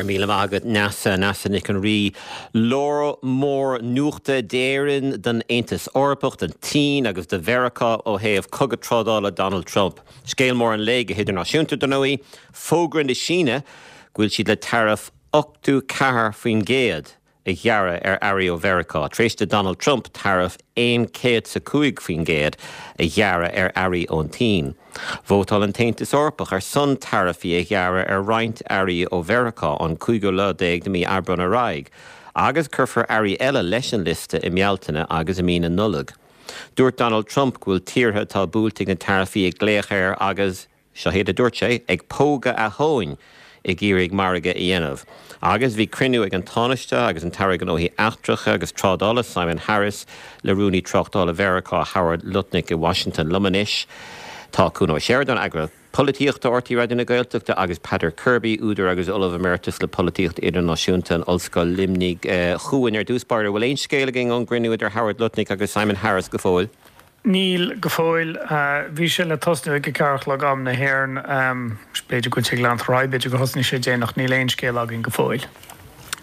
Go raibh míle maith agat Neasa, Neasa Nic an Rí. Lá mór nuachta d'Éirinn, don Aontas Eorpach, don tSín agus do Mheiriceá ó thaobh cogadh trádála Donald Trump. Scéal mór an lae go hidirnáisiúnta, dar ndóigh, fógra na Síne go bhfuil siad le taraif 84% a ghearradh ar earraí ó Mheiriceá, tar éis do Donald Trump taraif 105% a ghearradh ar earraí ón tSín. Vótáil an tAontas Eorpach ar son taraifí a ghearradh ar roinnt earraí ó Mheiriceá ón cúigiú lá déag de mhí Aibreán ar aghaidh, agus cuirfear earraí eile leis an liosta i mBealtaine agus i mí na Nollag. Dúirt Donald Trump go bhfuil tíortha atá buailte ag na taraifí ag glaoch air agus, seo iad a dúirt sé, ag pógadh a thóin ag iarraidh margadh a dhéanamh. Agus bhí cruinniú ag an Tánaiste agus an tAire Gnóthaí Eachtracha agus Trádála, Simon Harris, le Rúnaí Tráchtála Mheiriceá, Howard Lutnick i Washington. Liom anois tá Cuan Ó Seireadáin, Eagarthóir Polaitíochta RTÉ Raidió na Gaeltachta agus Peadar Kirby, údar agus Ollamh Emeritus le Polaitíocht Idirnáisiúnta in Ollscoil Luimnigh. A Chuain, ar dtús báire, bhfuil aon scéal againn ón gcruinniú idir Howard Lutnick agus Simon Harris go fóill? Níl, go fóill. Bhí sé le tosnú ag a ceathair a chlog am na hÉireann. B'fhéidir go bhfuil sé ag leanacht ar aghaidh, b'fhéidir gur thosnaigh sé déanach, níl aon scéal againn go fóill.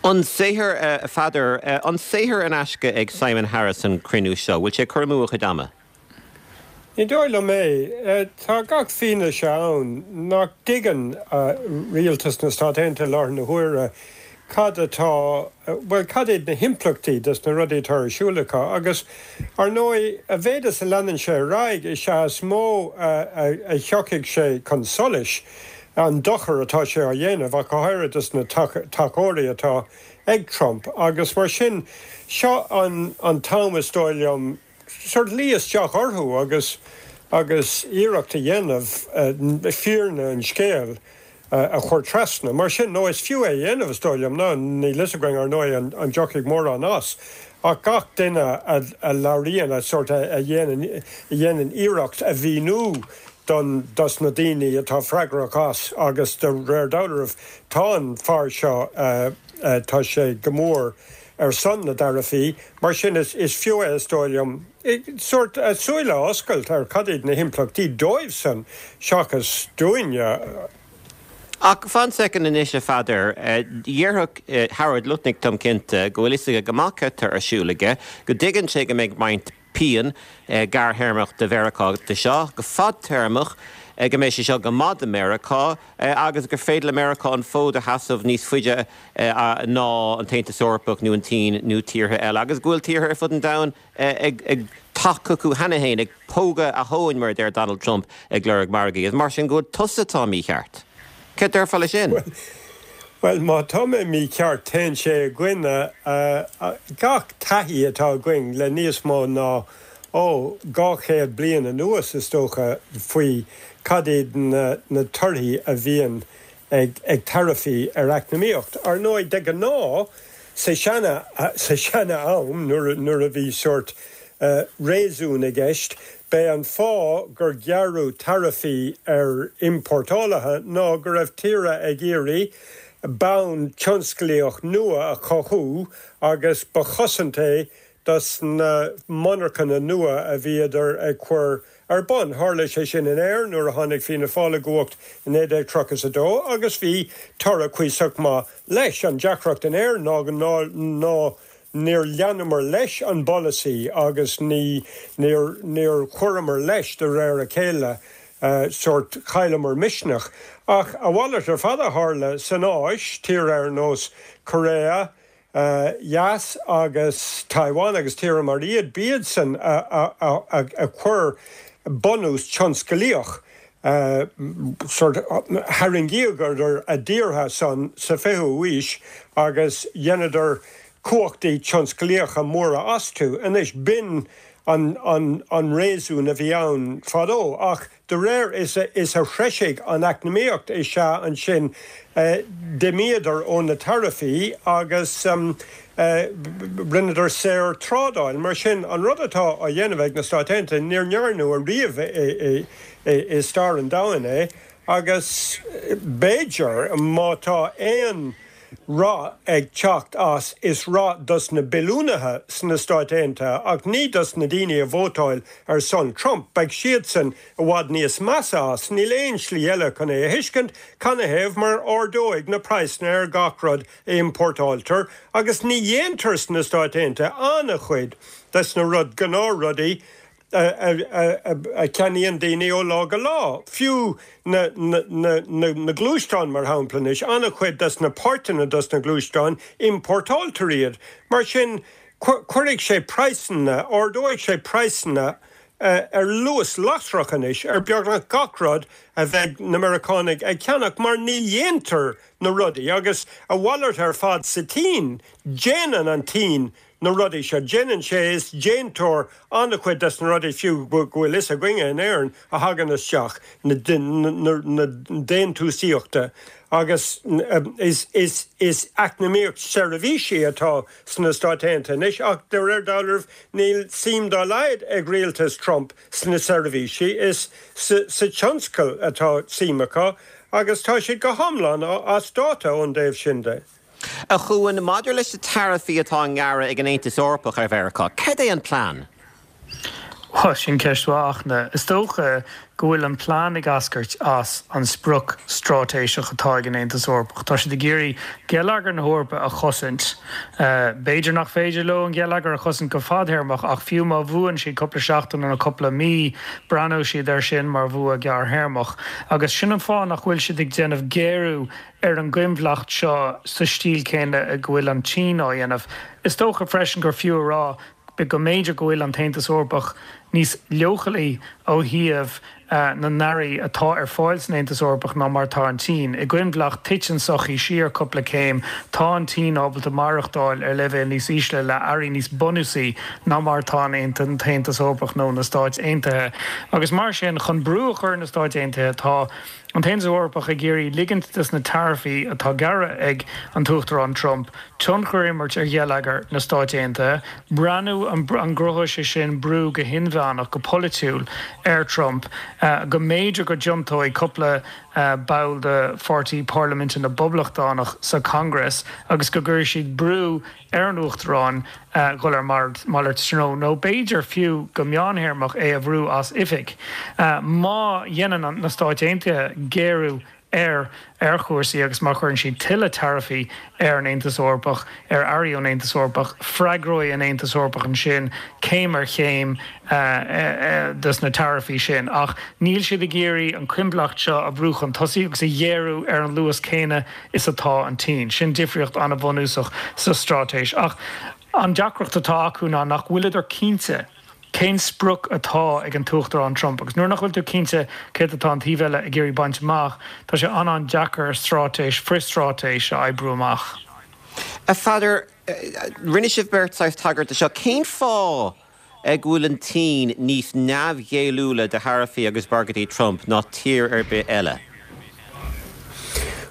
An saothar, a Pheadair, an saothar in aisce ag Simon Harris an cruinniú seo? Bhfuil sé ag cur amú a chuid ama? Ní dóigh liom é. Tá gach fianaise ann nach dtuigeann rialtas na Stát Aontaithe i láthair na huaire cad atá, bhuel, cad iad na himpleachtaí des na rudaí atá ar siúl acu. Agus, ar ndóigh, a mhéad is a leanann sé ar aghaidh, is ea is mó a thiocfaidh sé chun solais an dochar atá sé á dhéanamh, ach go háirithe dos na tacóirí atá ag Trump. Agus mar sin, seo an t-am, is dóigh liom, sórt luí isteach orthu agus agus iarracht a dhéanamh fírinne an scéil a chur trasna. Mar sin, nó is fiú é a dhéanamh, is dóigh liom. Ná níl fhios againn, ar ndóigh, an dtiocfaidh mórán as, ach gach duine a labhraíonn, a sórt a dhéanann a dhéanann iarracht a mhíniú don dos na daoine atá freagrach as agus de réir dealraimh tá an fear seo tá sé go mór ar son na dtaraifí, mar sin is fiú é, is dóigh liom, sórt a súile a oscailt ar cad iad na himpleachtaí dóibhsan seachas dúinne. Ach fan soicind anois, a Pheadair. Déarfadh Howard Lutnick, táim cinnte, go bhfuil fhios aige go maith cad tá ar siúl aige, go dtuigeann sé go mbeidh roinnt pian gearrthéarmach do Mheiriceá de seo, go fadtéarmach, go mbeidh sé seo go maith do Mheiriceá agus gur féidir le Meiriceá an fód a sheasamh níos faide ná an tAontas Eorpach nó an tSín nó tíortha eile agus go bhfuil tíortha ar fud an domhain ag teacht chucu cheana féin, ag pógadh a thóin, mar a deir Donald Trump, ag lorg margaí. Is mar sin go bhfuil tusa atá mícheart. Céard déarfá leis sin? Bhuel, má tá mé mícheart, téann sé i gcoinne gach taithí atá againn le níos mó ná, ó, 200 bliain anuas, is dócha, faoi cad iad na torthaí a bhíonn ag taraifí ar eacnamaíocht. Ar ndóigh, de ghnáth, sa seana, sa seana-am, nuair a bhí sórt réasún i gceist, b'é an fáth gur gearradh taraifí ar iompórtálaithe ná go raibh tíortha ag iarraidh bonn tionsclaíoch nua a chothú agus ba chosaint é dos na monarchana nua a bhíodar ag cur ar bun. Tharla sé sin in Éirinn nuair a tháinig Fianna Fáil i gcumhacht i 1932 agus bhí toradh cuíosach maith leis. An deacracht in Éirinn ná ná níor leanamar leis an bpolasaí agus ní níor níor chuireamar leis de réir a chéile, sórt chailleamar misneach. Ach a mhalairt ar fad a tharla san Áis, tíortha ar nós Korea, Theas agus Taiwan agus tíortha mar iad, b'iadsan a chuir bunús tionsclaíoch, sórt, tharraingíodar a dtíortha san sa 20ú aois agus dheineadar cumhachtaí tionsclaíocha móra astu. Anois, b'in an réasún a bhí ann fadó ach De réir is a threisigh an eacnamaíocht is ea ansin d'imíodar ó na taraifí agus rinneadar saorthrádáil. Mar sin, an rud atá á dhéanamh ag na Stáit Aontaithe, níor ndearnadh ariamh i stair an domhain é agus b'fhéidir, má tá aon. rath ag teacht as, is rath dos na billiúnaithe sna Stáit Aontaithe ach ní dos na daoine a vótáil ar son Trump. Beidh siadsan i bhfad níos measa as. Níl aon slí eile chun é a thuiscint, canathaobh mar ardóidh na praghsanna ar gach rud a iompórtáiltear agus ní dhéantar sna Stáit Aontaithe an-chuid des na rud, gnáthrudaí a cheannaíonn daoine ó lá go lá. Fiú na gluaisteáin, mar shampla, anois, an-chuid des na páirteanna dos na gluaisteáin, iompórtáiltear iad. Mar sin, cuirfidh sé praghsanna, ardóidh sé praghsanna ar luas lasrach anois ar beagnach gach rud a bheidh na Meiriceánaigh ag ceannach mar ní dhéantar na rudaí agus a mhalairt ar fad sa tSín, déanann an tSín na rudaí seo. Déanann sé, is déantóir an-chuid des na rudaí fiú go bhfuil fhios againne in Éirinn a thagann isteach, na déantúsaíochta agus is is eacnamaíocht seirbhísí atá sna Stáit Aontaithe anois ach de réir dealraimh níl suim dá laghad ag rialtas Trump sna seirbhísí, is sa tionscal atá suim acu agus tá siad go hiomlán as dáta ón dtaobh sin de. A Chuain, maidir leis na taraifí atá á ngearradh ag an Aontas Eorpach ar Mheiriceá, cad é an plean? Bhuel, sin ceist mhaith, Fhachtna. Is dócha go bhfuil an plean ag eascairt as an sprioc straitéiseach atá ag an Aontas Eorpach. Tá siad ag iarraidh geilleagar na hEorpa a chosaint. B'fhéidir nach féidir leo an geilleagar a chosaint go fadthéarmach ach fiú má bhuann siad cúpla seachtain nó cúpla mí, breathnóidh siad air sin mar bhua gearrthéarmach. Agus sin an fáth nach bhfuil siad ag déanamh géarú ar an gcoinbhleacht seo sa stíl céanna go bhfuil an tSín á dhéanamh. Is dócha freisin gur fiú a rá go mb'fhéidir go bhfuil an tAontas Eorpach níos leochailí ó thaobh na n-earraí atá ar fáil san Aontas Eorpach ná mar atá an tSín. I gcoinbhleacht, titeann sochaí siar cúpla céim. Tá an tSín ábalta maireachtáil ar leibhéal níos ísle le earraí níos bunúsaí ná mar atá an tAontas Eorpach nó na Stáit Aontaithe. Agus mar sin, chun brú a chur ar na Stáit Aontaithe, tá. An tAontas Eorpach ag iarraidh ligint dos na taraifí atá gearrtha ag an tUachtarán Trump tionchar a imirt ar gheilleagar na Stáit Aontaithe, breathnú an gcruthóidh sé sin brú go hinmheánach, go polaitiúil ar Trump, go mb'fhéidir go dtiontóidh cúpla ball de pháirtí parlaiminte na bPoblachtánach sa Congress agus go gcuirfidh siad brú ar an Uachtarán dhul ar malairt treo, nó b'fhéidir fiú go meánthéarmach é a bhrú as oifig. Má dhéanann na Stáit Aontaithe géarú ar ar chúrsaí agus má chuireann siad tuilleadh taraifí ar an Aontas Eorpach, ar earraí ón Aontas Eorpach, freagróidh an Aontas Eorpach ansin céim ar chéim dos na taraifí sin. Ach níl siad ag iarraidh an choinbhleacht seo a bhrú chun tosaigh agus a ghéarú ar an luas céanna is atá an tSín. Sin difríocht an-bhunúsach sa straitéis. Ach an deacracht atá acu ná nach bhfuileadar cinnte cén sprioc atá ag an tUachtarán Trump. Agus nuair nach bhfuil tú cinnte céard atá an taobh eile ag iarraidh baint amach, tá sé an-an-deacair straitéis, frithstraitéis a oibriú amach. A Pheadair, rinne sibh beirt saghas tagairt do seo. Cén fáth go bhfuil an tSín níos neamhghéilliúla do tharaifí agus bagairtí Trump ná tír ar bith eile?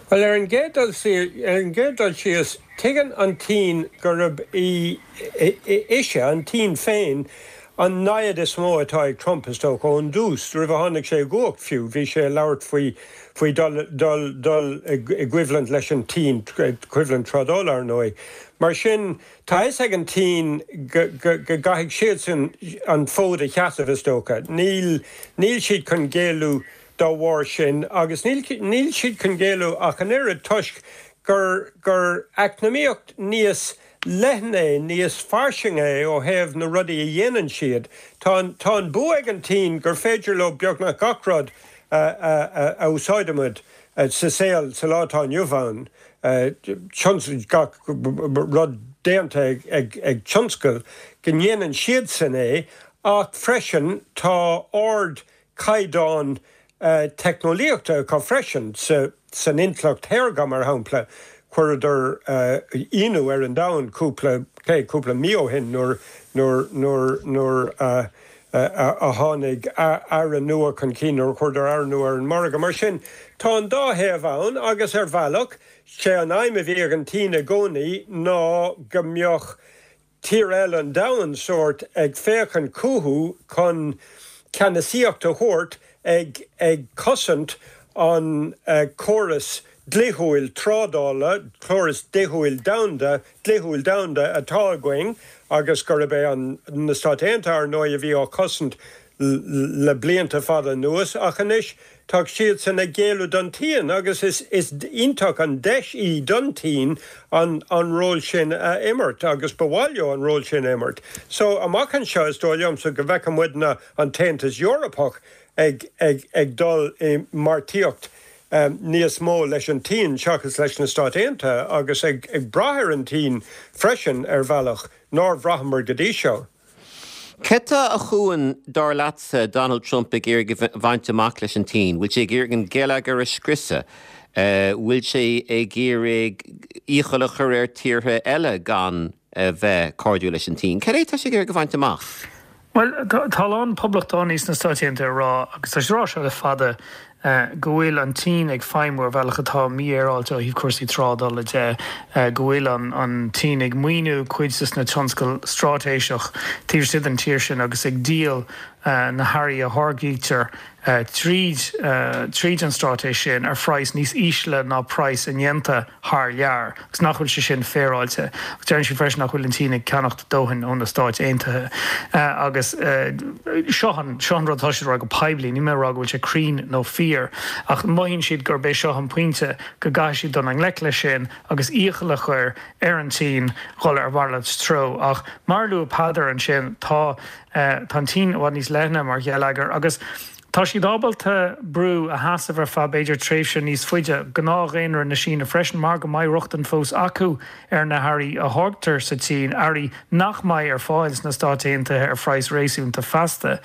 Bhuel, ar an gcéad dul ar an gcéad dul síos, tuigeann an tSín gurb í ise, an tSín féin, an namhaid is mó atá ag Trump, is dócha, ón dtús, roimh a tháinig sé i gcumhacht fiú, bhí sé ag labhairt faoi faoi dul dul dul i gcoimhlint leis an tSín, coimhlint trádála, ar ndóigh. Mar sin, Tá a fhios ag an tSín go gcaithfidh siadsan an fód a sheasamh, is dócha. Níl níl siad chun géilleadh dá bharr sin agus níl níl siad chun géilleadh ach an oiread toisc gur gur eacnamaíocht níos leithne é, níos fairsinge é ó thaobh na rudaí a dhéanann siad. Tá an tá an bua ag an tSín gur féidir leo beagnach gach rud a a a úsáidimid sa saol sa lá atá inniu ann. gach rud déanta ag tionscal, go ndéanann siadsan é, ach freisin tá ardchaighdeán teicneolaíochta acu freisin, san intleacht shaorga mar shampla, chuireadar ionadh ar an domhan cúpla, cé, cúpla mí ó shin nuair, nuair, nuair, nuair a a tháinig earra nua chun cinn, nuair a chuireadar earra nua ar an margadh. Mar sin, tá an dá thaobh ann agus ar bhealach, sé an aidhm a bhí ag an tSín i gcónaí ná go mbeadh tír eile an domhain sórt ag féachaint chucu chun ceannasaíocht a thabhairt ag ag cosaint an córas. dlíthiúil trádála, córas dlíthiúil domhanda, dlíthiúil domhanda atá againn agus gurb é an, na Stáit Aontaithe, ar ndóigh, a bhí á chosaint le blianta fada anuas ach anois tá siadsan ag géilleadh don tSín agus is, is iontach an deis í don tSín an, an ról sin a imirt agus ba mhaith leo an ról sin a imirt. So, amach anseo is dóigh liomsa go bhfeicfidh muidne an tAontas Eorpach ag, ag, ag dul i bpáirtíocht níos mó leis an tSín seachas leis na Stáit Aontaithe agus ag, ag brath ar an tSín freisin ar bhealach nár bhraitheamar go dtí seo. Cad tá, a Chuain, dar leatsa, Donald Trump ag iarraidh a bhaint amach leis an tSín? Bhfuil sé ag iarraidh an geilleagar a scriosadh? Bhfuil sé ag iarraidh iachall a chur ar tíortha eile gan a bheith cairdiúil leis an tSín? Cad é atá sé ag iarraidh a bhaint amach? Bhuel, tá a lán poblachtánaigh sna Stáit Aontaithe ag rá, agus tá siad ag rá seo le fada, go bhfuil an tSín ag feidhmiú ar bhealach atá mífhéaráilte ó thaobh cúrsaí trádála de, go bhfuil an tSín ag maoiniú cuid de na tionscail straitéiseach taobh istigh den tír sin agus ag díol na hearraí a tháirgítear tríd tríd an straitéis sin ar phraghas níos ísle ná praghas a ndéanta thar lear agus nach bhfuil sé sin féaráilte. Agus deireann siad freisin nach bhfuil an tSín ag ceannacht dóthain ó na Stáit Aontaithe. Agus seo an seo an rud atá siad ag rá go poiblí, níl mé ag rá go bhfuil sé cruinn nó fíor, ach mothaíonn siad gurb é seo an pointe go gcaithfidh siad dul i ngleic leis sin agus iachall a chur ar an tSín dhul ar mhalairt treo. Ach mar a luaigh Peadar ansin, tá Tá an tSín i bhfad níos leithne mar gheilleagar agus tá siad ábalta brú a sheasamh ar feadh b'fhéidir tréimhse níos faide. Gnáthdhaonra na Síne freisin mar go mbeidh rochtain fós acu ar na hearraí a tháirgtear sa tSín, earraí nach mbeidh ar fáil sna Stáit Aontaithe ar phraghas réasúnta feasta,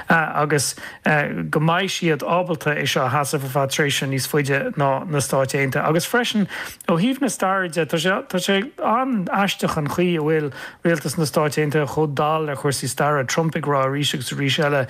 agus go mbeidh siad ábalta é seo a sheasamh ar feadh tréimhse níos faide ná na Stáit Aontaithe. Agus freisin ó thaobh na staire de, tá sé tá sé an-aisteach an chaoi a bhfuil Rialtas na Stáit Aontaithe chomh dall ar chúrsaí staire, Trump ag rá arís agus arís eile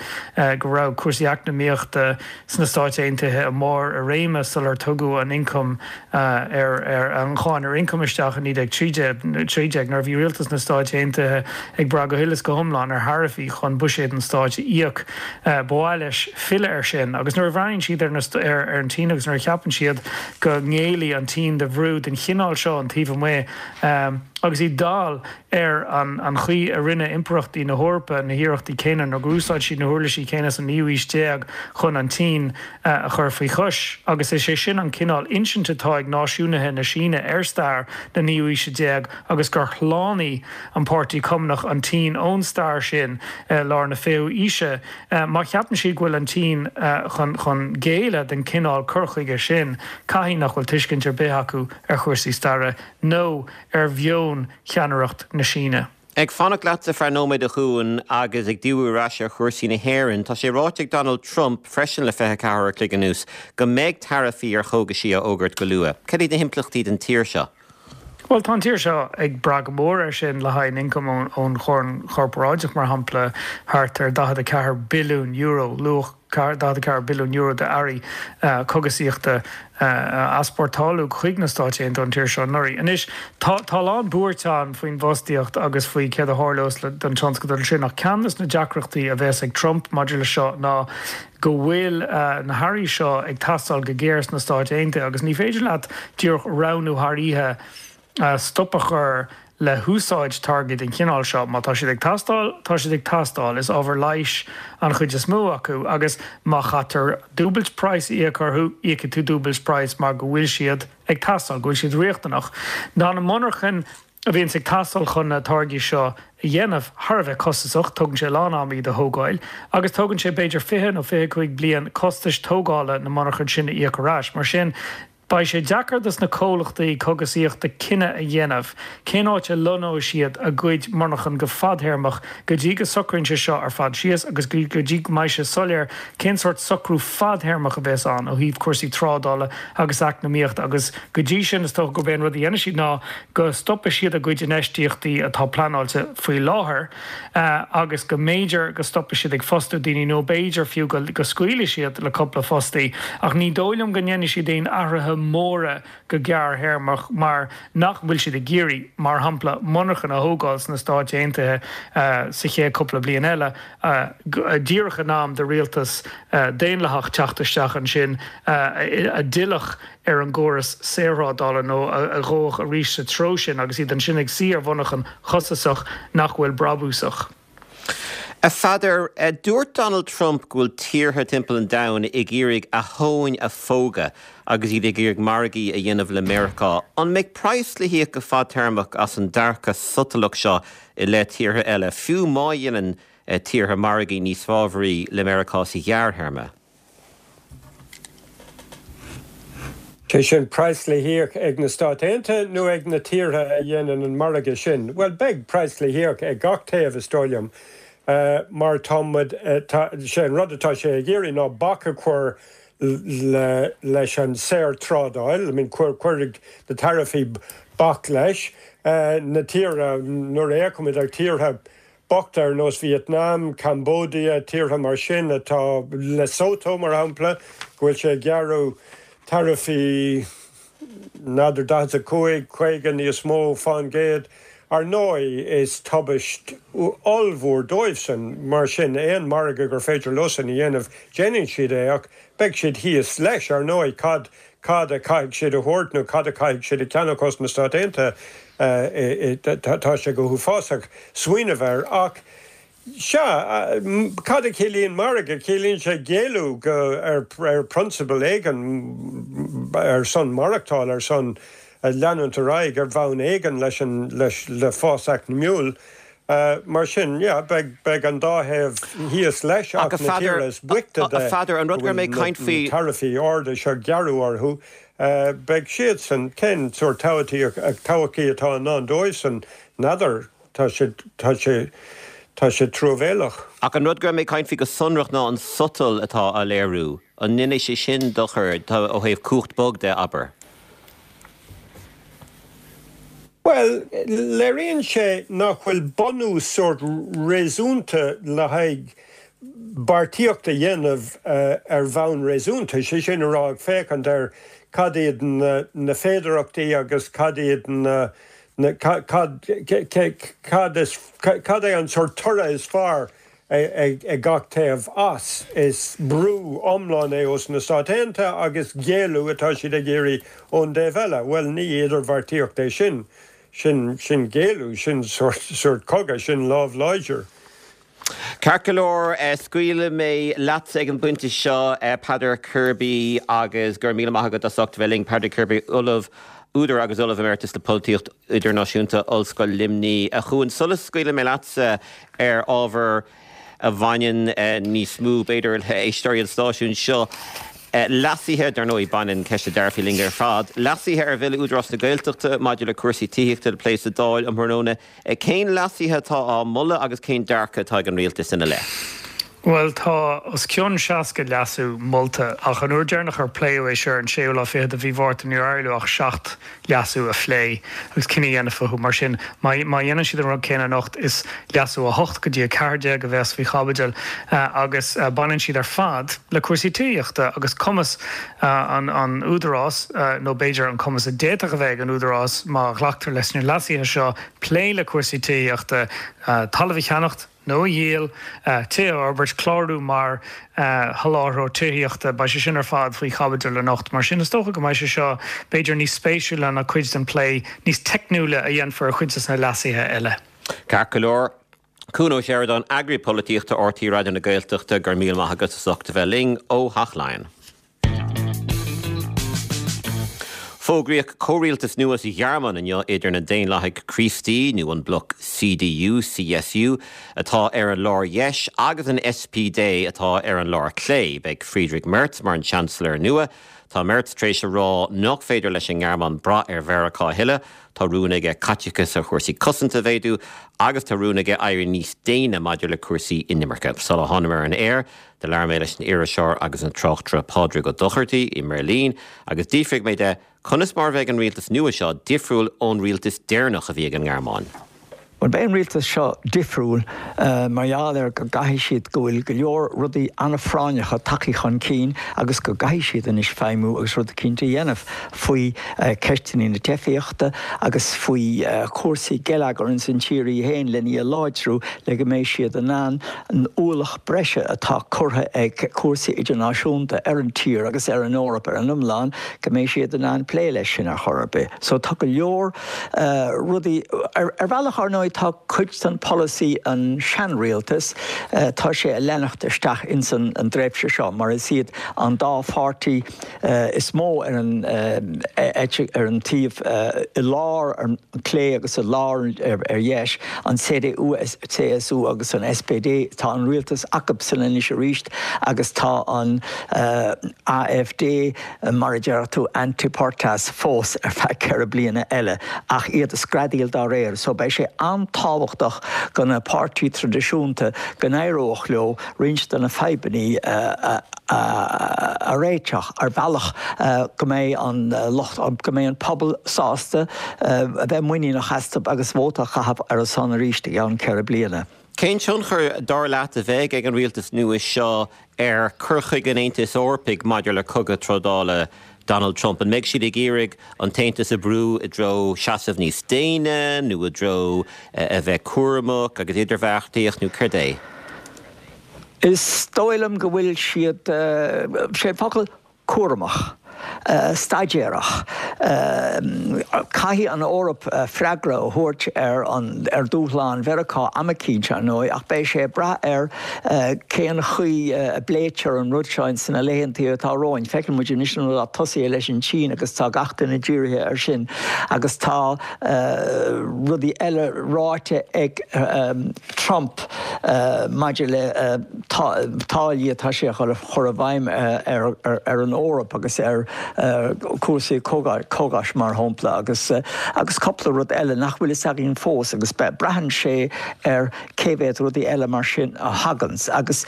go raibh cúrsaí eacnamaíochta sna Stáit Aontaithe i mbarr a réime sular tugadh an ioncam ar an cháin ar ioncam isteach i 1913, nuair a bhí rialtas na Stáit Aontaithe ag brath go huile is go hiomlán ar tharaifí chun buiséad an stáit a íoc. Ba mhaith leis filleadh air sin. Agus nuair a bhreathnaíonn siad ar an tSín agus nuair a cheapann siad go ngéillfidh an tSín do bhrú den chineál seo ón taobh amuigh, Agus iad dall ar an chaoi a rinne impireachtaí na hEorpa na hiarrachtaí céanna, nó gur úsáid siad na huirlisí céanna sa naoú haois déag chun an tSín a chur faoi chois. Agus is é sin an cineál insinte atá ag náisiúnaithe na Síne ar stair na naoú haoise déag agus gur shlánaigh an Páirtí Cumannach an tSín ón stair sin i lár na fichiú haoise. Má cheapann siad go bhfuil an tSín chun géilleadh don chineál cur chuige sin, caithfidh nach bhfuil tuiscint ar bith acu ar chúrsaí staire. nó ar mheon cheannaireacht na Síne. Ag fanacht leatsa ar feadh nóiméid a Chuain agus ag díriú ar ais ar chúrsaí na hÉireann, tá sé ráite ag Donald Trump freisin le 24 uair a chloig anuas go mbeidh taraifí ar chógaisí á fhógairt go luath. Cad iad na himpleachtaí don tír seo? Bhuel, tá an tír seo ag brath go mór air sin le haghaidh an ioncam ón cháin chorparáideach, mar shampla, thart ar €44 billiún, luach €44 billiún d'earraí cogasaíochta a easpórtáladh chuig na Stáit Aontaithe ón tír seo anuraidh. Anois, tá a lán buairt ann faoin bhfostaíocht agus faoi céard a tharlós don tionscadal sin, ach ceann de na deacrachtaí a bheas ag Trump maidir leis seo ná go bhfuil na hearraí seo ag teastáil go géar sna Stáit Aontaithe agus ní féidir leat díreach roghnú thar oíche stop a chur le húsáid táirgí den chineál seo. Má tá siad ag teastáil, tá siad ag teastáil. Is ábhar leighis an chuid is mó acu agus má chaitear dúbailt praghas a íoc orthu, íocfaidh tú dúbailt praghas mar go bhfuil siad ag teastáil, go bhfuil siad riachtanach. Tá na monarchain a bhíonns ag teastáil chun na táirgí seo a dhéanamh thar a bheith costasach, tógann sé a lán ama iad a thógáil agus tógann sé b'fhéidir 20 nó 25 bliain costais tógála na monarchan sin a íoc ar ais. Mar sin, Beidh sé deacair dos na comhlachtaí cogasaíochta cinneadh a dhéanamh cén áit a lonnóidh siad a gcuid monarchan go fadthéarmach go dtí go socraíonn sé seo ar fad síos agus go dtí go mbeidh sé soiléir cén sórt socrú fadthéarmach a bheas ann ó thaobh cúrsaí trádála agus eacnamaíochta agus go dtí sin is dócha gurb é an rud a dhéanfaidh siad ná go stopfaidh siad a gcuid infheistíochtaí atá pleanáilte faoi láthair. agus go mb'fhéidir go stopfaidh siad ag fostú daoine nó b'fhéidir fiú go scaoilfidh siad le cúpla fostaí ach ní dóigh liom go ndéanfaidh siad aon athruithe. móra go gearrthéarmach mar nach bhfuil siad ag iarraidh, mar shampla, monarchan a thógáil sna Stáit Aontaithe sa chéad cúpla bliain eile, díreach in am do rialtas daonlathach teacht isteach ansin a d'fhillfeadh ar an gcóras saorthrádála nó a ghabhfadh arís sa treo sin agus iad ansin ag suí ar mhonarchan chostasach nach bhfuil brabúsach. A Pheadair, dúirt Donald Trump go bhfuil tíortha timpeall an domhain ag iarraidh a thóin a phógadh agus iad ag iarraidh margaí a dhéanamh le Meiriceá. An mbeidh praghas le híoc go fadtéarmach as an dearcadh sotalach seo i leith tíortha eile, fiú má dhéanann tíortha margaí níos fábhraí le Meiriceá sa ghearrthéarma? Sé sin, praghas le híoc ag na Stáit Aontaithe nó ag na tíortha a dhéanann an margadh sin? Bhuel, beidh praghas le híoc ag gach taobh, is dóigh liom, mar tá muid, tá, sé an rud atá sé ag iarraidh ná bac a chur le, leis an saorthrádáil, I mean, cuirfidh na taraifí bac leis. Na tíortha, nuair a fhéachaimid ar tíortha bochta ar nós Vietnam, Cambodia, tíortha mar sin atá, Lesotho mar shampla, go bhfuil sé ag gearradh taraifí n'fheadar 45, 50, níos mó fán gcéad. Ar ndóigh is tubaist ollmhór dóibhsan, mar sin aon margadh gur féidir leosan a dhéanamh déanann siad é ach beidh siad thíos leis ar ndóigh. Cad cad a chaithfidh siad a thabhairt nó cad a chaithfidh siad a cheannach ós na Stáit Aontaithe, tá sé go huafásach smaoineamh air. Ach sea, cad a chiallaíonn margadh? Ciallaíonn sé géilleadh go, ar phrionsabal éigin, ar son maireachtáil, ar son leanúint ar aghaidh ar bhonn éigin leis an, leis, le fás eacnamúil. Mar sin, yeah, beidh, beidh an dá thaobh thíos leis ach na tíortha is boichte de A Pheadair, an rud go raibh mé ag caint faoi. na taraifí arda seo ag gearradh orthu, beidh siadsan, cén sórt todhchaí, todhchaí atá i ndán dóibhsan, n'fheadar, tá sé, tá sé, tá sé truamhéalach. Ach an rud go raibh mé ag caint faoi go sonrach ná an sotal atá á léiriú. An ndéanfaidh sé sin dochar, ó thaobh cumhacht bog de, abair? Bhuel, léiríonn sé nach bhfuil bunús sórt réasúnta le haghaidh beartaíocht a dhéanamh ar bhonn réasúnta, sé sin a rá ag féachaint ar cad iad na féidearthachtaí agus cad iad na, cad, cad is, cad é an sórt toradh is fearr ag gach taobh as. Is brú iomlán é ós na Stáit Aontaithe agus géilleadh atá siad ag iarraidh ón dtaobh eile. Bhuel, ní idirbheartaíocht é sin. Sin, sin géilleadh, sin sórt, sórt cogadh, sin lámh láidir. Ceart go leor, scaoilfidh mé leatsa ag an bpointe seo, Peadar Kirby, agus go raibh míle maith agat as ucht a bheith linn. Peadar Kirby, Ollamh, údar agus Ollamh Emeritus le Polaitíocht Idirnáisiúnta, Ollscoil Luimnigh. A Chuain, sula scaoilfidh mé leatsa ar ábhar a bhaineann níos mó, b'fhéidir, le héisteoirí an stáisiúin seo, leasuithe, dar ndóigh, baineann ceist na dtaraifí linn ar fad, leasuithe ar Bhille Údarás na Gaeltachta maidir le cúrsaí tithíochta le plé sa Dáil um thráthnóna. Cén leasuithe atá á moladh agus cén dearcadh atá ag an Rialtas ina leith? Bhuel, tá os cionn 60 leasú molta, ach an uair deireanach ar pléadh é seo ar an séú lá fichead de mhí Mhárta níor éirigh leo ach 7 leasú a phlé agus cinneadh a dhéanamh fúthu. Mar sin, má dhéanann siad an rud céanna anocht, is leasú 8 go dtí 14 a bheas faoi chaibidil agus baineann siad ar fad le cúrsaí tithíochta agus cumas an Údarás, nó b'fhéidir an cumas a d'fhéadfadh a bheith ag an Údarás má ghlactar leis na leasuithe seo, plé le cúrsaí tithíochta, talamh a cheannacht nó a dhíol, tithe a fhorbairt, clárú mar sholáthróir tithíochta, beidh sé sin ar fad faoi chaibidil anocht. Mar sin, is dócha go mbeidh sé seo b'fhéidir níos spéisiúla ná cuid den phlé níos teicniúla a dhéanfar ar chuid de na leasuithe eile. Ceart go leor. Cuan Ó Seireadáin, Eagraí Polaitíochta RTÉ Raidió na Gaeltachta, go raibh míle maith agat as ucht a bheith linn ó Theach Laighean. Fógraíodh comhrialtas nua sa Ghearmáin inniu idir na Daonlathaigh Chríostaí, nó an bloc CDU, CSU, atá ar an lár dheis, agus an SPD atá ar an lár clé. Beidh Friedrich Merz mar an Seansailéir nua. Tá Merz tar éis a rá nach féidir leis an nGearmáin brath ar Mheiriceá a thuilleadh. Tá rún aige caiteachas ar chúrsaí cosanta a mhéadú agus tá rún aige éirí níos déine maidir le cúrsaí inimirce. Sula thánamar ar an aer, Do labhair mé leis an iriseoir agus an tráchtaire Pádraig Ó Dochartaigh i mBeirlín agus d'fhiafraigh mé de conas mar a bheidh an rialtas nua seo difriúil ón rialtas deireanach a bhí ag an nGearmáin. Bhuel, beidh an rialtas seo difriúil mar gheall ar go gcaithfidh siad, go bhfuil go leor rudaí an-phráinneacha tagtha chun cinn agus go gcaithfidh siad anois feidhmiú agus rud eicínt a dhéanamh faoi cheisteanna na teifíochta agus faoi chúrsaí geilleagair ins an tír í féin len í a láidriú le go mbeidh siad in ann an ualach breise atá curtha ag cúrsaí idirnáisiúnta ar an tír agus ar an Eoraip ar an iomlán, go mbeidh siad in ann plé leis sin ar chor ar bith. So tá go leor. rudaí. Ar bhealach, ar ndóigh, tá cuid den polasaí an seanrialtas, tá sé a leanacht isteach ins an dtréimhse seo, mar is iad an dá pháirtí is mó ar an eite, ar an taobh i lár ar clé agus i lár ar dheis, an CDU, CSU agus an SPD, tá an rialtas acubsan anois arís agus tá an AfD, mar a déarfadh tú, ante portas fós ar feadh 4 bliana eile, ach iad ag screadaíl dá réir. So beidh sé an-tábhachtach do na páirtí traidisiúnta go n-éireodh leo roinnt de na fadhbannaí a réiteach ar bhealach go mbeidh an lucht, go mbeidh an pobal sásta a bheith muiníneach astu agus vóta a chaitheamh ar a son arís i gceann 4 bliana. Cén tionchar, dar leat, a bheidh ag an rialtas nua seo ar chur chuige an Aontais Eorpaigh maidir le cogadh trádála Donald Trump? An mbeidh siad ag iarraidh an tAontas a bhrú i dtreo seasamh níos déine nó i dtreo a bheith cúramach agus idirbheartaíocht nó céard é? Is dóigh liom go bhfuil siad, sé an focal, cúramach, staidéarach. Caithfidh an Eoraip freagra a thabhairt ar an ar dúshlán Mheiriceá am eicínt, ar ndóigh, ach beidh sé ag brath ar cén chaoi a bpléitear an rud seo ins na laethantaí atá romhainn. Feiceann muid anois an rud atá tosaithe leis an tSín agus tá gach duine dírithe air sin agus tá rudaí eile ráite ag Trump maidir le táillí atá sé a chur i bhfeidhm ar an Eoraip agus ar chúrsaí cógais mar shampla agus agus cúpla rud eile nach bhfuil fhios againn fós agus braitheann sé ar cé mhéad rudaí eile mar sin a thaganns agus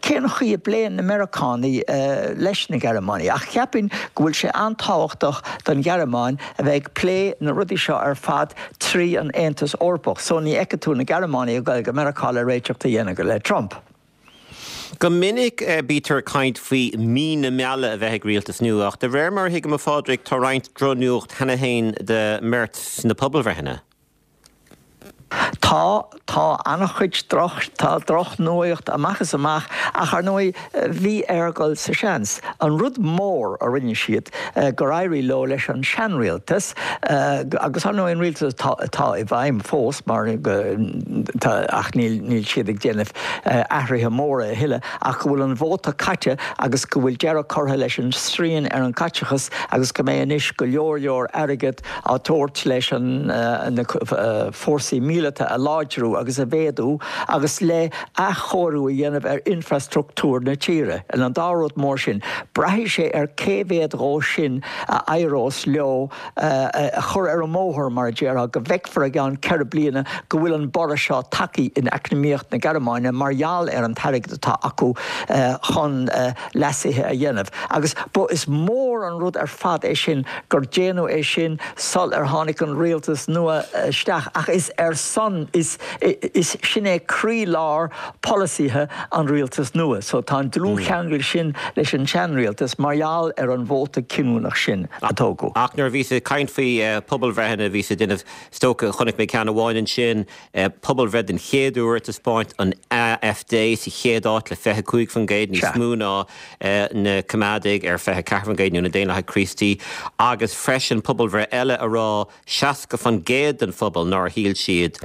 cén chaoi a bpléann na Meiriceánaigh leis na Gearmánaigh. Ach cheapfainn go bhfuil sé an-tábhachtach don Ghearmáin a bheith ag plé na rudaí seo ar fad trí an Aontas Eorpach so ní fheicfidh tú na Gearmánaigh ag dul go Meiriceá le réiteacht a dhéanamh le Trump. Go minic bítear ag caint faoi mí na meala a bheith ag rialtas nua ach de réir mar a thuigim a Phádraig tá roinnt drochnuacht cheana féin do Merz sna pobalbhreitheanna. Tá, tá an-chuid droch, tá drochnuaíocht amach is amach ach ar ndóigh bhí air dhul sa seans. An rud mór a rinne siad gur éirigh leo leis an seanrialtas agus ar ndóigh an rialtas atá atá i bhfeidhm fós mar tá ach níl níl siad ag déanamh athruithe móra a thuilleadh ach go bhfuil an vóta caite agus go bhfuil deireadh curtha leis an srian ar an gcaiteachas agus go mbeidh anois go leor leor airgead á tabhairt leis na fórsaí míleata a láidriú agus a mhéadú agus le athchóiriú a dhéanamh ar infreastruchtúr na tíre. An dá rud mór sin, braithfidh sé ar cé mhéad dhó sin a éireos leo a chur ar an mbóthar, mar a déarfá, go bhfeicfear i gceann 4 bliana go bhfuil an borradh seo tagtha in eacnamaíocht na Gearmáine mar gheall ar an t-airgead atá acu chun leasuithe a dhéanamh. Agus ba, is mór an rud ar fad é sin gur déanadh é sin sul ar tháinig an rialtas nua isteach ach is ar son, is, is, sin é croí-lár polasaithe an rialtais nua. So tá an dlúthcheangal sin leis an seanrialtas mar gheall ar an vóta cinniúnach sin a tógadh. Ach nuair a bhíos ag caint faoi pobalbhreitheanna, bhíos ag déanamh, is dócha, chonaic mé ceann amháin ansin, Pobalbhreith den chéad uair ag taispeáint an AfD sa chéad áit le 25%, níos mó ná na Coimeádaigh ar 24% nó na Daonlathaigh Chríostaí, agus freisin pobalbhreith eile a rá 60% den phobal nár shíl siad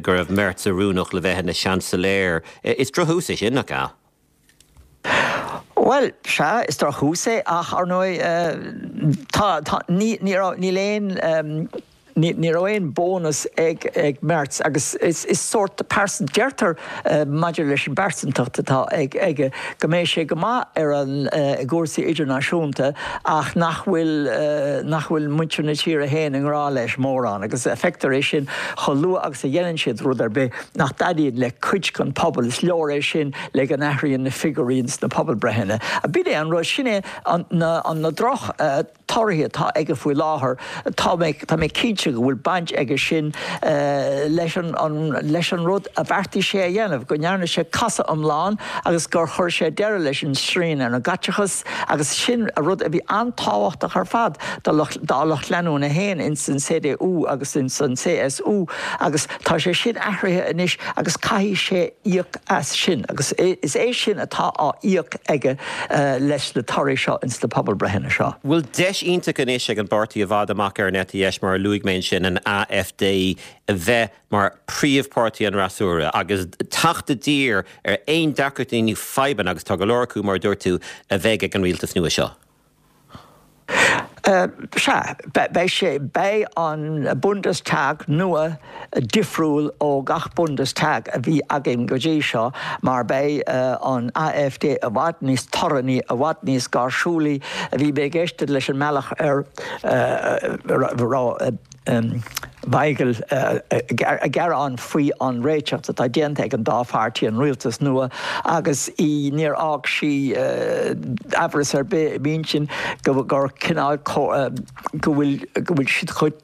go raibh Merz oiriúnach le bheith ina Seansailéir. Is drochthús é sin, nach ea? Bhuel, sea, is drochthús é, ach ar ndóigh, tá, tá, ní, ní raibh, níl aon, ní, ní raibh aon bónas ag, ag Merz agus is, is sórt pearsan, deirtear maidir leis an bpearsantacht atá ag, aige go mbeidh sé go maith ar an, i gcúrsaí idirnáisiúnta ach nach bhfuil, nach bhfuil muintir na tíre féin i ngrá leis mórán agus feictear é sin chomh luath agus a dhéanann siad rud ar bith nach dtaitníonn le cuid den pobal, is leor é sin le go n-athraíonn na figiúirí ins na pobalbreitheanna. B'in é an rud, sin é an, na, an, na droch torthaí atá aige faoi láthair. Tá mé, tá mé cinnte. cinnte go bhfuil baint aige sin leis an leis an rud a bheartaigh sé a dhéanamh, go ndearna sé casadh iomlán agus gur chuir sé deireadh leis an srian ar an gcaiteachas agus sin rud a bhí an-tábhachtach ar fad dá lucht leanúna féin ins an CDU agus ins an CSU agus tá sé sin athraithe anois agus caithfidh sé íoc as sin agus is é sin atá á íoc aige leis na torthaí seo ins na pobalbreitheanna seo. Bhfuil deis iontach anois ag an bpáirtí i bhfad amach ar an eite dheis, mar a luaigh mé ansin, an AfD, a bheith mar phríomhpháirtí an fhreasúra agus teacht i dtír ar aon deacrachtaí nó fadhbanna, agus tá go leor acu, mar a dúirt tú, a bheidh ag an rialtas nua seo? Sea, beidh sé, beidh an Bundestag nua difriúil ó gach Bundestag a bhí againn go dtí seo mar beidh an AfD i bhfad níos torannaí, i bhfad níos gáirsiúlaí. Bhí mé ag éisteacht leis an mbealach ar raibh. Waigel ag gearán faoi an réiteach atá déanta ag an dá pháirtí, an rialtas nua, agus í níor fhág sí amhras ar bith i m'intinn gur cineál go bhfuil go bhfuil siad chun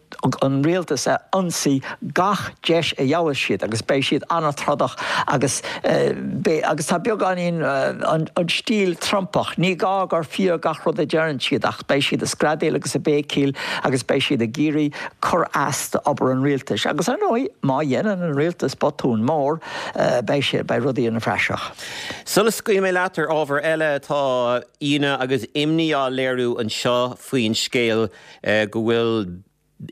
an rialtas a ionsaí gach deis a gheobhas siad agus beidh siad an-trodach agus beidh agus tá beagáinín an stíl Trumpach, ní gá gur fíor gach rud a deireann siad ach beidh siad ag screadaíl agus ag béicíl agus beidh siad ag iarraidh cur as d'obair an rialtais. Agus ar ndóigh, má dhéanann an rialtas botún mór, beidh sé, beidh rudaí ina phraiseach. Sula scaoilfidh mé leat ar ábhar eile, tá ionadh agus imní á léiriú anseo faoin scéal go bhfuil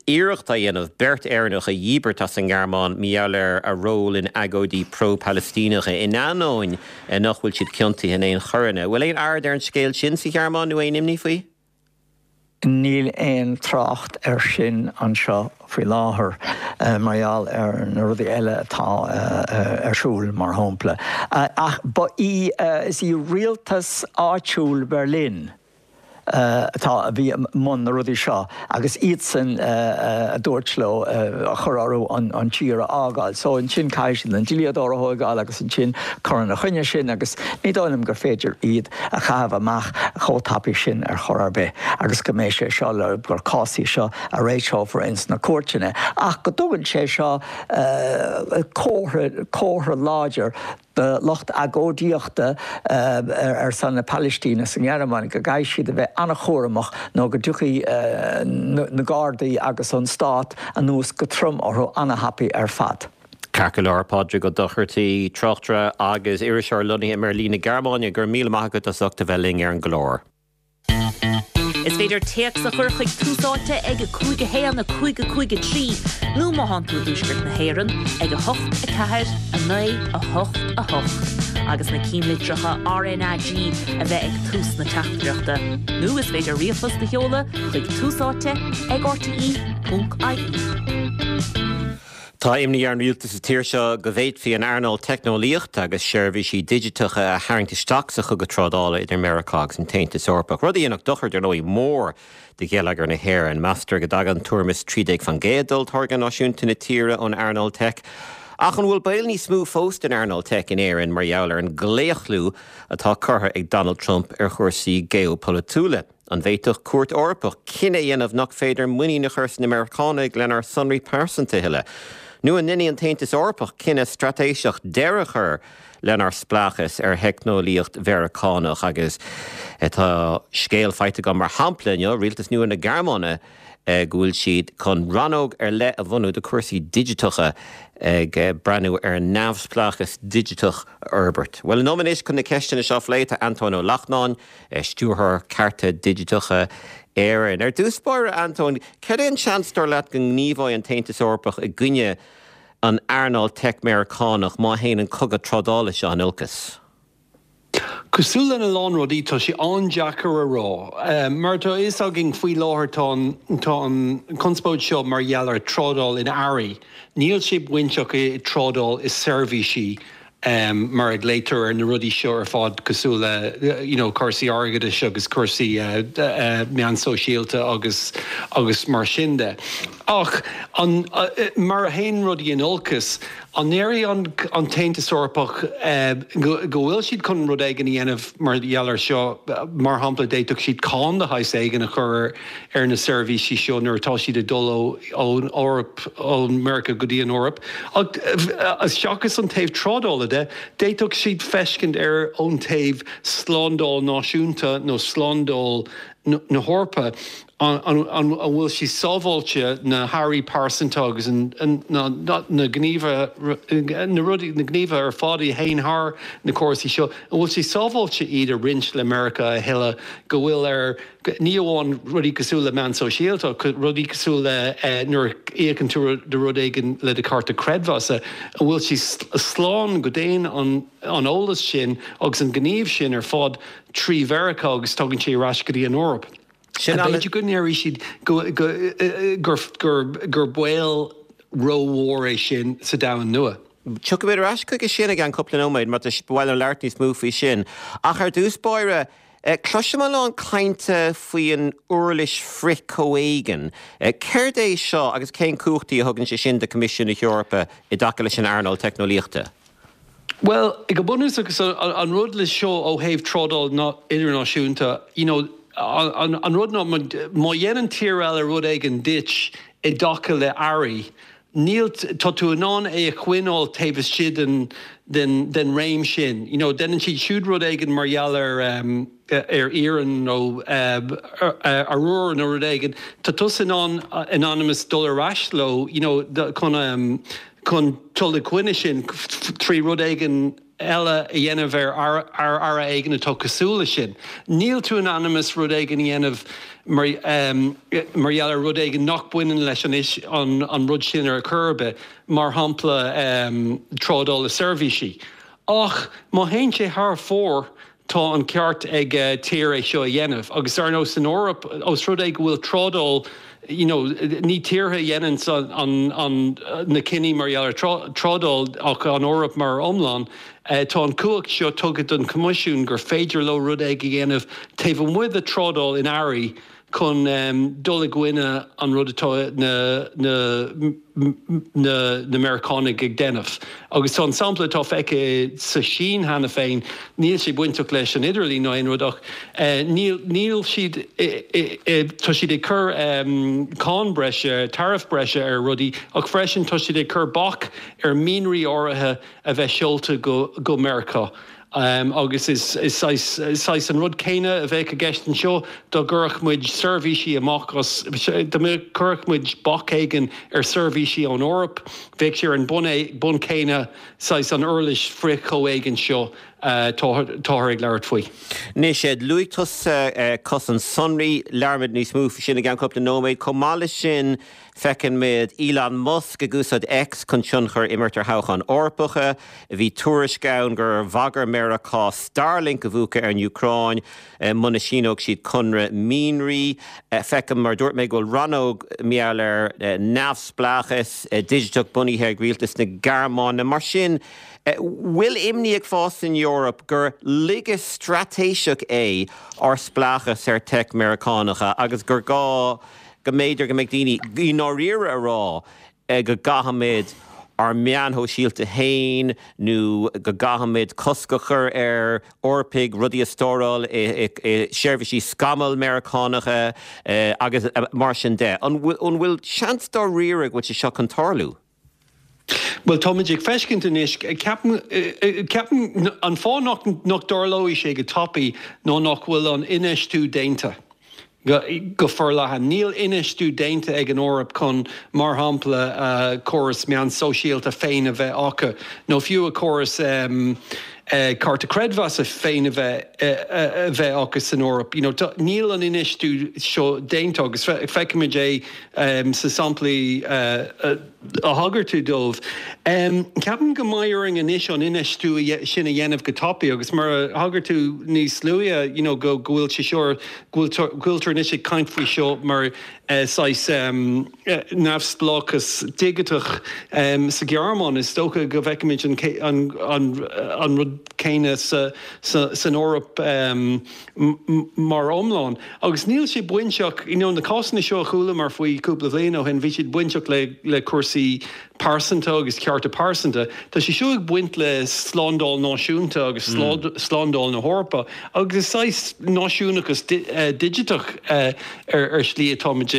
iarracht á dhéanamh beirt Éireannach a dhíbirt as an nGearmáin mar gheall ar a ról in agóidí pro-Palaistíneacha, in ainneoin nach bhfuil siad ciontaithe in aon choireanna. Bhfuil aon aird ar an scéal sin sa Ghearmáin nó aon imní faoi? Níl aon trácht air sin anseo faoi láthair, mar gheall ar na rudaí eile atá ar siúl, mar shampla. Ach ba í, is í rialtas áitiúil Bherlin atá, a bhí i mbun na rudaí seo agus iadsan a dúirt leo, a chuir orthu an tír a fhágáil. So ansin caithfidh siad an dlíodóir a thóigeáil agus ansin cur ina choinne sin agus ní dóigh liom gur féidir iad a chaitheamh amach chomh tapaidh sin ar chor ar bith agus go mbeidh sé seo le gur cás í seo a réiteofar ins na cúirteanna ach go dtugann sé seo comhartha comhartha láidir do lucht agóidíochta ar son na Palaistíne sa nGearmáin go gcaithfidh siad a bheith an-chúramach nó go dtiocfaidh na Gardaí agus an stát anuas go trom orthu an-thapaidh ar fad. Ceart go leor, Pádraig Ó Dochartaigh, tráchtaire agus iriseoir lonnaithe i mBeirlín na Gearmáine, go raibh míle maith agat as ucht a bheith linn ar an gclár. Is féidir téacs a chur chuig Tús Áite ag 5 1 5 5 3 nó má thánn tú i dTuaisceart na hÉireann ag 8 4 9 8 8 agus na cinnlitreacha RnaG a bheith ag tús na teachtaireachta. Nó is féidir ríomhphost a sheoladh chuig Tús Áite ag rte.ie. Tá imní ar an rialtas sa tír seo go bhféadfaí an earnáil teicneolaíochta agus seirbhísí digiteacha a tharraingt isteach sa chogadh trádála idir Meiriceá agus an tAontas Eorpach, rud a dhéanfadh dochar, dar ndóigh, mór do gheilleagar na hÉireann. Meastar go dtagann tuairim is 13% d'olltáirgeadh náisiúnta na tíre ón earnáil teic. Ach an bhfuil baol níos mó fós don earnáil teic in Éirinn mar gheall ar an gclaochlú atá curtha ag Donald Trump ar chúrsaí geopolaitiúla? An bhféadfadh Cúirt Eorpach cinneadh a dhéanamh nach féidir muinín a chur sna Meiriceánaigh lenár sonraí pearsanta a thuilleadh? Nó an ndéanfaidh an tAontas Eorpach cinneadh straitéiseach deireadh a chur lenár spleáchas ar theicneolaíocht Mheiriceánach? Agus tá scéal faighte agam mar shampla inniu, rialtas nua na Gearmáine, go bhfuil siad chun rannóg ar leith a bhunú do chúrsaí digiteacha ag breathnú ar an neamhspleáchas digiteach a fhorbairt. Bhuel, liom anois chun na ceisteanna seo a phlé tá Antóin Ó Lachtnáin, Stiúrthóir Cearta Digiteacha Éireann. Ar dtús báire, Antóin, cad é an seans, dar leat, go ngníomhóidh an tAontas Eorpach i gcoinne an earnáil teic Meiriceánach má théann an cogadh trádála seo in olcas? Cosúil lena lán rudaí, tá sé an-deacair a rá. Mar atá a fhios againn faoi láthair tá an tá an conspóid seo mar gheall ar trádáil in earraí. Níl sé bainteach i trádáil i seirbhísí. mar a ghlaotar ar na rudaí seo ar fad cosúil le you know cúrsaí airgeadais agus cúrsaí meán sóisialta agus agus mar sin de. Ach an, mar a théann rudaí in olcas, an ndéarfaidh an tAontas Eorpach go bhfuil siad chun rud éigin a dhéanamh mar gheall air seo? Mar shampla, d'fhéadfadh siad cáin de shaghas éigin a chur ar na seirbhísí seo nuair atá siad ag dul ón Eoraip, ó Mheiriceá go dtí an Eoraip. Ach seachas an taobh trádála de, d'fhéadfadh siad feiscint air ón taobh slándáil náisiúnta nó slándáil na hEorpa. An bhfuil sé sábháilte na hearraí pearsanta agus na gníomhartha, na rudaí, na gníomhartha ar fad a théann thar na córasaí seo, an bhfuil sé sábháilte iad a roinnt le Meiriceá a thuilleadh, go bhfuil ar, ní amháin rudaí cosúil le meán sóisialta ach rudaí cosúil le nuair a íocann tú do rud éigin le do chárta creidmheasa, an bhfuil sé slán go dtéann an eolas sin agus an gníomh sin ar fad trí Mheiriceá agus tagann sé ar ais go dtí an Eoraip? Sin an. B'fhéidir go ndéarfaidh siad gur baol rómhór é sin sa domhan nua. Tiocfaimid ar ais chuige sin i gceann cúpla nóiméad mar tá ba mhaith liom labhairt níos mó faoi sin. Ach ar dtús báire, cloisim a lán cainte faoin uirlis frith-chomhéigin. Céard é seo agus cén cumhachtaí a thugann sé sin do Choimisiún na hEorpa i dtaca leis an earnáil teicneolaíochta? Bhuel, go bunúsach, an rud le seo ó thaobh trádáil idirnáisiúnta, you know, an rud ná má dhéanann tír eile rud éigin duit i dtaca le earraí, níl, tá tú in ann é a choinneáil taobh istigh den, den, den réim sin. You know, déanann siad siúd rud éigin mar gheall ar, ar iarann nó arúr nó rud éigin, tá tusa in ann, in ainm is dul ar ais leo, you know, chun, chun dul i gcoinne sin trí rud éigin eile a dhéanamh ar earra éigin atá cosúil leis sin. Níl tú in ainm is rud éigin a dhéanamh mar mar gheall ar rud éigin nach baineann leis an an rud sin ar chor ar bith, mar shampla trádáil i seirbhísí. Ach má théann sé thar fóir, Tá an ceart ag tír é seo a dhéanamh agus ar ndóigh san Eoraip, ós rud é go bhfuil trádáil, you know, ní tíortha a dhéananns an, an, na cinní mar gheall ar trádáil ach an Eoraip mar iomlán, tá an cumhacht seo tugtha don Choimisiún gur féidir leo rud éigin a dhéanamh taobh amuigh de trádáil in earraí chun dul i gcoinne an rud atá na na Meiriceánaigh ag déanamh. Agus tá an sampla atá feicthe sa Sín cheana féin, níl sé bainteach leis an idirlíon ná aon rud ach níl níl siad tá siad ag cur cáin breise, tariff breise ar rudaí ach freisin tá siad ag cur bac ar mhianraí áirithe a bheith seolta go go Meiriceá. Agus is saghas an rud céanna a bheadh i gceist anseo dá gcuirfeadh muid seirbhísí amach as, dá gcuirfeadh muid bac éigin ar seirbhísí ón Eoraip, bheadh sé ar an mbonn céanna, saghas an uirlis frith-chomhéigin seo atáthar ag labhairt faoi. Anois, luaigh tusa cosaint sonraí, labhróimid níos mó faoi sin i gceann cúpla nóiméad. Chomh maith leis sin, Feiceann muid Elon Musk ag úsáid X chun tionchar a imirt ar thoghcháin Eorpacha. Bhí tuairisc ann gur bhagair Meiriceá Starlink a mhúchadh ar an Úcráin muna síneodh siad conradh mianraí. Feicim, mar a dúirt mé, go bhfuil rannóg mar gheall ar neamhspleáchas digiteach bunaithe ag rialtas na Gearmáine. Mar sin, bhfuil imní ag fás san Eoraip gur laige straitéiseach é ár spleáchas ar tech Meiriceánacha agus gur gá go mb'fhéidir go mbeidh daoine i ndáiríre a rá go gcaithfimid ár meáin shóisialta féin nó go gcaithfimid cosc a chur ar Eorpaigh rudaí a stóráil i seirbhísí scamaill Meiriceánacha agus mar sin de. An bhfuil seans dáiríre go bhfuil sé seo chun tarlú? Bhuel, táimid ag feiscint anois, ceapaim, ceapaim, an fáth nach, nach dtarlóidh sé go tapaidh ná nach bhfuil an infheistiú déanta go, go forleathan. Níl infheistiú déanta ag an Eoraip chun, mar shampla, a córas meán sóisialta féin a bheith acu, nó fiú a córas cárta creidmheasa féin a bheith, a bheith acu san Eoraip. You know, tá, níl an infheistiú seo déanta agus feicimid é sna samplaí a thagair tú dóibh. Ceapaim go mbeidh orainn anois an infheistiú sin a dhéanamh go tapaidh agus mar a thagair tú níos luaithe, you know, go bhfuil sé seo, go bhfuiltear anois ag caint faoi seo mar saghas neamhspleáchas digiteach sa Ghearmáin. Is dócha go bhfeicfimid an rud. rud céanna san Eoraip mar iomlán. Agus níl sé bainteach, you know, na cásanna seo a chualamar faoi cúpla bhliain ó shin, bhí siad bainteach le le cúrsaí pearsanta agus cearta pearsanta. Tá sé seo ag baint le slándáil náisiúnta agus slándáil na hEorpa agus is saghas náisiúnachas digiteach ar shlí atáimid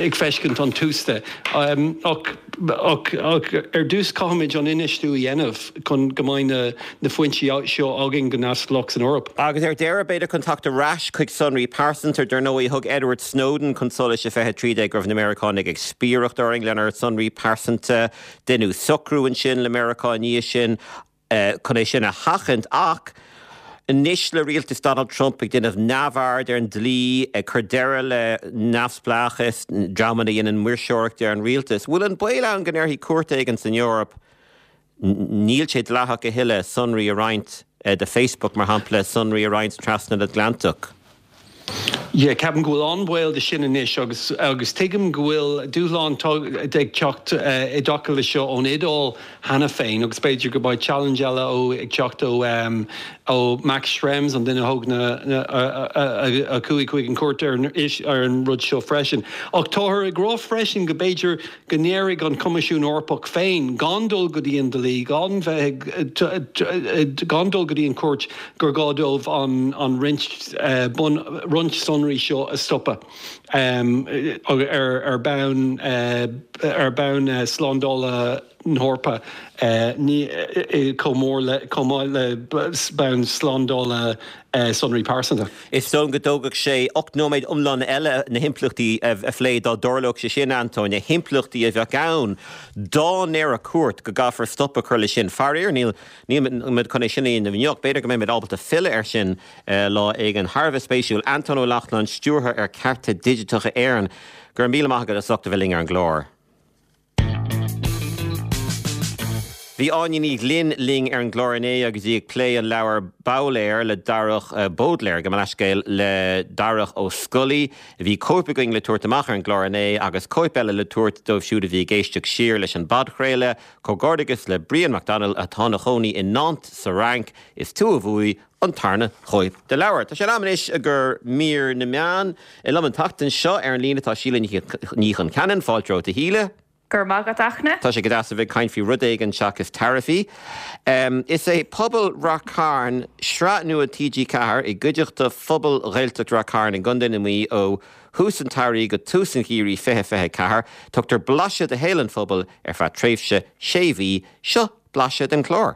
ag feiscint an tús de. Ach ach ar dtús caithfimid an infheistiú a dhéanamh chun go mbeidh na na foinsí seo againn go neamhspleách san Eoraip. Agus ar deireadh, b'fhéidir chun teacht ar ais chuig sonraí pearsanta, dar ndóigh, thug Edward Snowden chun solais i 2013 go raibh na Meiriceánaigh ag spiaireacht orainn lenár sonraí pearsanta. Deineadh socrú ansin le Meiriceá i ndiaidh sin chun é sin a sheachaint ach anois le rialtas Donald Trump ag déanamh neamhaird ar an dlí, ag cur deireadh le neamhspleáchas dreamanna a dhéanann maoirseoireacht ar an rialtas, bhfuil an baol ann go ndéarfaidh cúirt éigin san Eoraip Níl sé dleathach a thuilleadh sonraí a roinnt do Facebook, mar shampla, sonraí a roinnt trasna an Atlantach. Yeah, ceapaim go bhfuil an-bhaol de sin anois agus agus tuigim go bhfuil dúshlán ag teacht i dtaca le seo ón Iodáil cheana féin agus b'fhéidir go mbeidh challenge eile ó ag teacht ó ó Max Schrems, an duine a thóg na a chuaigh chuig an chúirt ar ar an rud seo freisin. Ach táthar ag rá freisin go b'fhéidir go ndéarfaidh an Coimisiún Eorpach féin, gan dul go dtí an dlí, gan bheith ag, gan dul go dtí an chúirt, gur gá dóibh an roinnt, roinnt sonraí seo a stopadh ar bonn, ar bonn slándála na hEorpa, ní, chomh mór le, chomh maith le bonn slándála sonraí pearsanta. Is dóigh liom go dtógfadh sé 8 nóiméad iomlán eile na himpleachtaí a phlé dá dtarlódh sé sin, Antóin, na himpleachtaí a bheadh ann dá ndéarfadh cúirt go gcaithfear stop a chur leis sin. Faraor, níl níl muid chun é sin a dhéanamh inniu. B'fhéidir go mbeimid ábalta filleadh air sin lá éigin. Thar a bheith spéisiúil. Antóin Ó Lachtnáin, Stiúrthóir ar Cearta Digiteacha Éireann, go raibh míle maith agat as ucht a bheith linn ar an gclár. Bhí Áine Ní Ghlinn linn ar an gclár inné agus í ag plé an leabhair Bowlaer le Darach, Bódléar, gabh mo leithscéal, le Darach Ó Scolaí. Bhí cóip againn le tabhairt amach ar an gclár inné agus cóip eile le tabhairt dóibh siúd a bhí ag éisteacht siar leis an bpodchraoladh. Comhghairdeachas le Brian Mac Dónaill atá ina chónaí i Nantes sa Fhrainc. Is tú a bhuaigh an tarna chóip de leabhar. Tá sé in am anois i gcomhair mír na meán. Liom an tseachtain seo ar an líne tá Síle Ní Choncheanainn. Fáilte romhat a Shíle. Go raibh maith agat, a Fhachtna. Tá sé go deas a bheith ag caint faoi rud éigin seachas taraifí. Is é Pobal Rath Cairn, sraith nua TG4 i gcuideachta phobal Ghaeltacht Rath Cairn i gContae na Mí ó thús an tsamhraidh go tús an gheimhridh 2024. Tugtar blaiseadh de shaol an phobail ar feadh tréimhse sé mhí. Seo blaiseadh den chlár.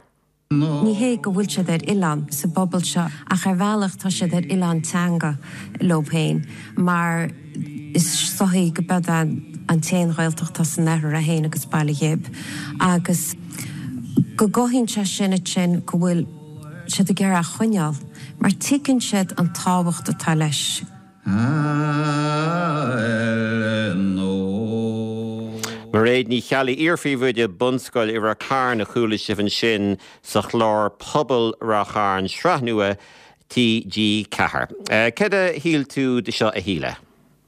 Ní hé go bhfuil siad ar oileán sa bpobal seo ach ar bhealach tá siad ar oileán teanga leo féin mar is dóichí go b'eod an t-aon Ghaeltacht atá san oirthear, é féin agus Baile Ghib agus go gcothaíonn sé sin ansin go bhfuil siad ag iarraidh a choinneáil mar tuigeann siad an tábhacht atá leis. Mairéad Ní Cheallaigh, iar-phríomhoide bunscoil i Rath Cairn a chuala sibh ansin sa chlár Pobal Rath Chairn, sraith nua TG4. Céard a shíl tú de seo a Shíle?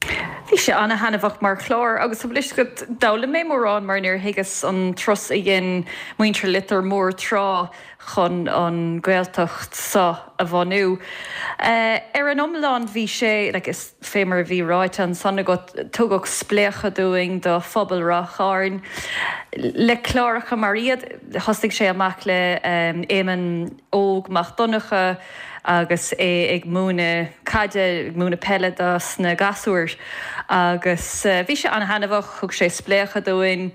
Bhí sé ana-thaitneamhach mar chlár agus tá fhios agat, d'fhoghlaim mé mórán mar níor thuigeas an turas a dhein muintir Leitir Móir tráth chun an Ghaeltacht seo a bhunú. Ar an iomlán bhí sé, like, is fé mar a bhí ráite ansan agat, tugadh spléachadh dúinn do phobal Ráth Chairn le cláracha mar iad. Thosaigh sé amach le Éamonn Óg Mac Donncha agus é ag múineadh caide, ag múineadh peile dos na gasúir agus bhí sé ana-thaitneamhach, thug sé spléachadh dúinn.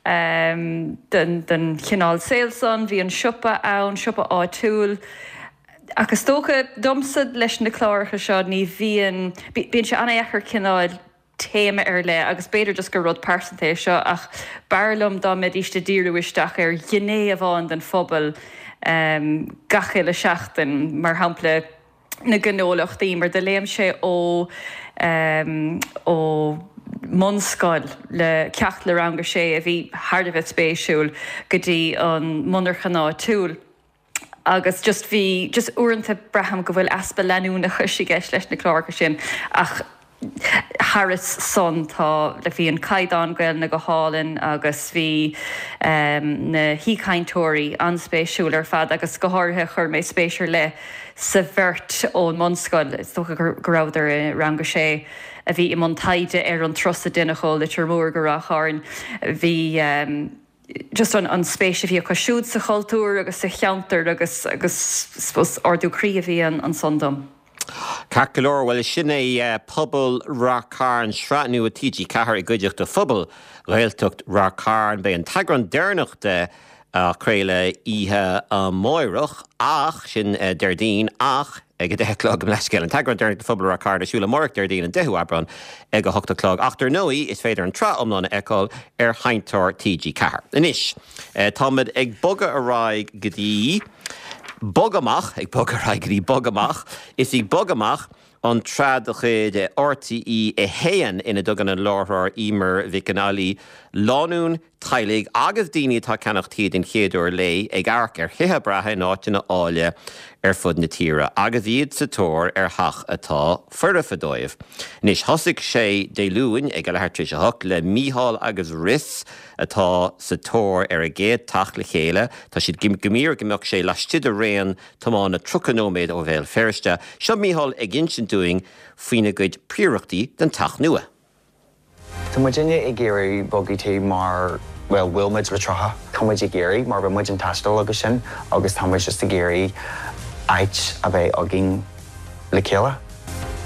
den chineál saoil san. Bhí an siopa ann, siopa áitiúil. Ach is dócha, domsa, leis na cláracha seo, ní bhíonn, bíonn sé an-dheacair cineál téama ar leith, agus b'fhéidir just gur rud pearsanta é seo, ach b'fhearr liom dá mbeidíst ag díriú isteach ar ghné amháin den phobal gach uile seachtain, mar shampla, na gnólachtaí mar do léim sé ó ó mbunscoil le ceacht le rang a sé a bhí thar a bheith spéisiúil go dtí an monarchan áitiúil agus just bhí just uaireanta braithim go bhfuil easpa leanúnachais i gceist leis na cláracha sin ach. Thairis san tá, like bhí an caighdeán Gaelainne go hálainn agus bhí na haoichainteoirí an-spéisiúil ar fad agus go háirithe chuir mé spéis ar leith sa bheirt ón mbunscoil, is dócha go rabhadar i rang a sé, a bhí i mbun taighde ar an turas a deineadh ó Leitir Móir go Ráth Chairn. Bhí just an an spéis a bhí acu siúd sa chultúr agus sa cheantar agus agus suppose ardú croí a bhí ansan dom. Ceart go leor, bhuel sin é Pobal Ráth Cairn, sraith nua TG4 i gcuideachta phobal Ghaeltacht Ráth Cairn. Beidh an t-eagrán deireanach de á chraoladh oíche amáireach, ach, sin Déardaoin, ach ag 10 a chlog, mo leithscéal, an t-eagrán deireanach de Phobal Ráth Cairn ar siúl amárach Déardaoin an 10ú Aibreán ag 8 a chlog. Ach dar ndóigh, is féidir an tsraith iomlán a fheiceáil ar Sheinnteoir TG4. Anois, táimid ag bogadh ar aghaidh go dtí Bog Amach, ag bogadh ar aghaidh go dtí Bog Amach. Is í Bog Amach an tsraith de chuid RTÉ 1 ina dtugann an láithreoir Eimear Mhic an Fhailí lánúin, teaghlaigh agus daoine atá ag ceannach tí den chéad uair léi ag amharc ar thithe breátha in áiteanna áille ar fud na tíre agus iad sa tóir ar theach atá foirfe dóibh. Anois, thosaigh sé Dé Luain ag a leathuair tar éis a hocht le Mícheál agus Rhys atá sa tóir ar a gcéad teach le chéile. Tá siad ag iarraidh go mbeadh sé laistigh de raon tiomána 30 nóiméad ó Bhéal Feirste. Seo Mícheál ag insint dúinn faoina gcuid príorachtaí don teach nua. Tá muidinne ag iarraidh bogadh tí mar, bhuel, bhuail muid le 30. Tá muid ag iarraidh mar bhí muid ag taisteal agus sin agus tá muid just ag iarraidh áit a bheith againn le chéile.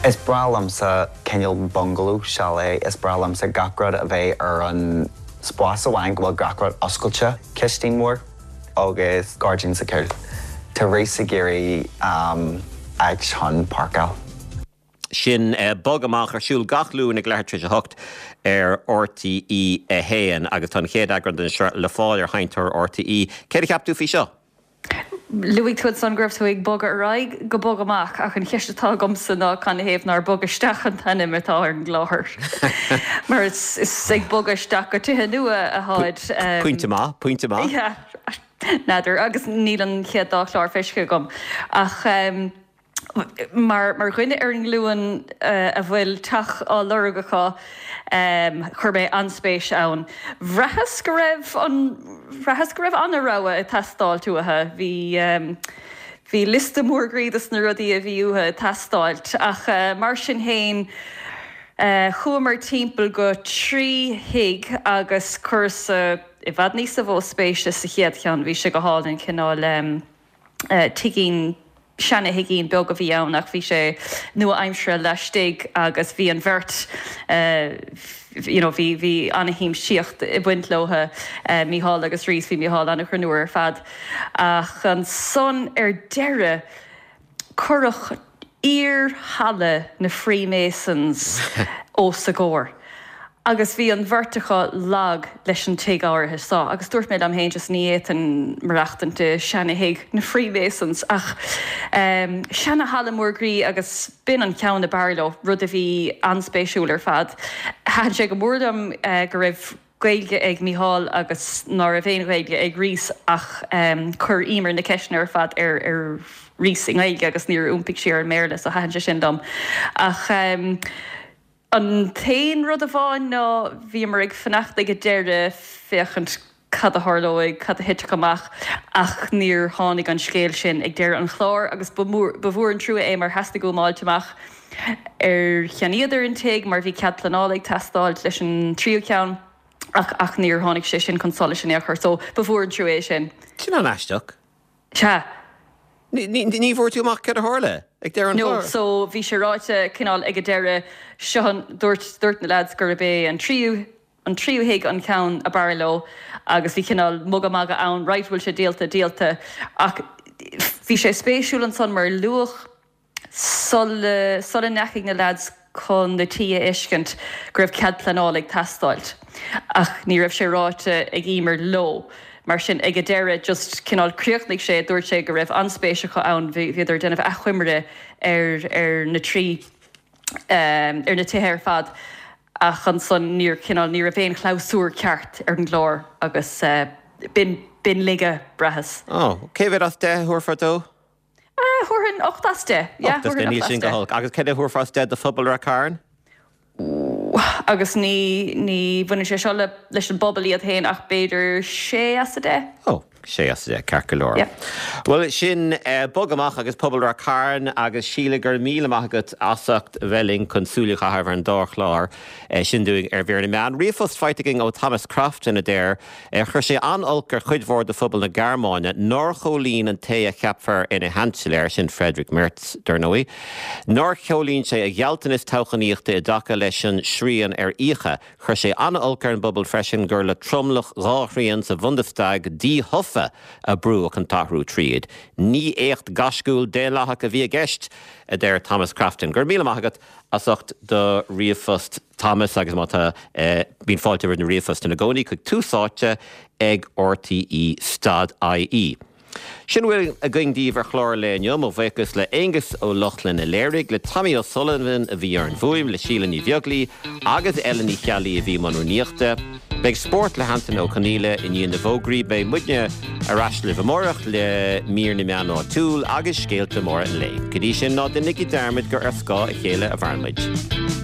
Is breá liomsa cineál bungalow, chalet, is breá liomsa gach rud a bheith ar an spás amháin go bhfuil gach rud oscailte, cistín mhór agus gairdín sa chúl. Tá Rhys ag iarraidh áit chun páirceáil. Sin Bog Amach ar siúl gach Luan ag leathuair tar éis 8 ar RTÉ 1 agus tá an chéad eagrán den sraith le fáil ar Sheinnteoir RTÉ. Céard a cheap tú faoi seo? Luaigh tú ansan go raibh tú ag bogadh ar aghaidh go Bog Amach ach an cheist atá agamsa ná canathaobh nár Bog Isteach an t-ainm atá ar an gclár? Mar is ag bogadh isteach go tithe nua atáid. Pointe maith, pointe maith. Yeah, n'fheadar. Agus níl an chéad dá chlár feicthe agam ach. Mar dhuine ar an nglúin a bhfuil teach á lorg acu, chuir mé an-spéis ann. Bhraitheas go raibh an, bhraitheas go raibh an-rogha ag teastáilt uathu. Bhí, bhí liosta mór groí dos na rudaí a bhí uathu ag teastáilt. Ach mar sin fhéin, chuamar timpeall go 3 thigh agus chuireas i bhfad níosa mhó spéise sa chéad cheann. Bhí sé go hálainn, cineál. tigín, seana-thigín beag a bhí ann ach bhí sé nua-aimseartha laistigh agus bhí an bheirt you know bhí, bhí an-shiamsaíocht ag baint leo, Mícheál agus Rhys, bhí Mícheál an-ghreannmhar ar fad. Ach ansan ar deireadh cuireadh iar-halla na Freemasons os a gcomhair agus bhí an bheirt acu lag leis an tigh áirithe so agus dúirt mé liom féin just ní fhéadfainn maireachtaint i seana-thigh na Freemasons ach seana-halla mór groí agus b'in an ceann ab fhearr leo, rud a bhí an-spéisiúil ar fad. Thaitin sé go mór liom go raibh. Gaeilge ag Mícheál agus ná raibh aon Ghaeilge ag Rhys ach chuir Emer na ceisteanna ar fad ar Rhys i nGaeilge agus níor iompaigh sí ar an mBéarla so thaitin sé sin liom. Ach an t-aon rud amháin ná bhíomar ag fanacht ag an deireadh féachaint cad a tharlóidh, cad a thitfeadh amach ach níor tháinig an scéal sin ag deireadh an chláir agus ba mhór an trua é mar theastaigh uaim fháilt amach ar cheannaíodar an tigh mar bhí cead pleanála ag teastáilt leis an tríú ceann ach ach níor tháinig sé sin chun solais in aon chor so ba mhór an trua é sin. Sin an-aisteach. Sea. Ní ní ní bhfuair tú amach céard a tharla ag deireadh an No, chláir? so bhí sé ráite cineál ag an deireadh seo an dúirt dúirt na lads gurb é an tríú an tríú thigh an ceann ab fhearr leo agus bhí cineál mugadh magadh ann right bhfuil sé díolta díolta ach bhí sé spéisiúil ansan mar luadh sula sula ndeachaigh na leaids chun na tí a fheiscint go raibh cead pleanála ag teastáilt ach ní raibh sé ráite ag Emer leo. Mar sin ag an deireadh just cineál chríochnaigh sé, dúirt sé go raibh an-spéis acu ann, bhíodar ag déanamh achoimre ar ar na trí ar na tithe ar fad ach ansan níor cineál ní raibh aon chlabhsúr ceart ar an gclár agus b'in b'in laige braitheas. Oh, cé mhéad as 10 a thabharfá dó? Thabharfainn 8 as 10. Yeah, 8 as 10, thabharfainn níl 8 as sin go 10. holc. Agus céard a thabharfá as 10 do phobal Rath Cairn? Agus ní ní bhaineann sé seo le leis an bpobal iad féin ach b'fhéidir 6 as 10. Ó, 6 as 10, ceart go leor. Yeah. Bhuel, sin Bog Amach agus Pobal Ráth Cairn agus Síle, go raibh míle maith agat as ucht a bheith linn chun súil a chaitheamh ar an dá chlár sin dúinn ar Mhír na Meán. Ríomhphost faighte againn ó Thomas Crofton a deir, Chuir sé an-olc ar chuid mhór de phobal na Gearmáine nár chomhlíon an té a cheapfar ina Sheansailéir, sin Friedrich Merz, dar ndóigh, nár chomhlíon sé a ghealltanas toghchánaíochta i dtaca leis an srian ar fhiacha. Chuir sé an-olc ar an bpobal freisin gur le tromlach dhá thrian sa Bhundestag díthofa a brúdh an t-athrú tríd. Ní éacht gaisciúil daonlathach a bhí i gceist, a deir Thomas Crofton. Go raibh míle maith agat as ucht do ríomhphost Thomas agus má tá, bíonn fáilte roimh na ríomhphoist ina gcónaí chuig Tús Áite ag RTÉ stad IE. Sin a bhfuil againn daoibh ar chlár an lae inniu. Mo bhuíochas le Aonghus Ó Lochlainn a léirigh, le Tommy O'Sullivan a bhí ar an bhfuaim, le Síle Ní Bheaglaoi agus Ellen Ní Cheallaigh a bhí i mbun rúnaíochta. Beidh spórt le hAntaine Ó Conghaile i ndiaidh na bhfógraí. Beidh muidne ar ais libh amárach le mír na meán áitiúil agus scéalta móra an lae. Go dtí sin, ná déanaigí dearmad gur ar scáth a chéile a mhaireann muid.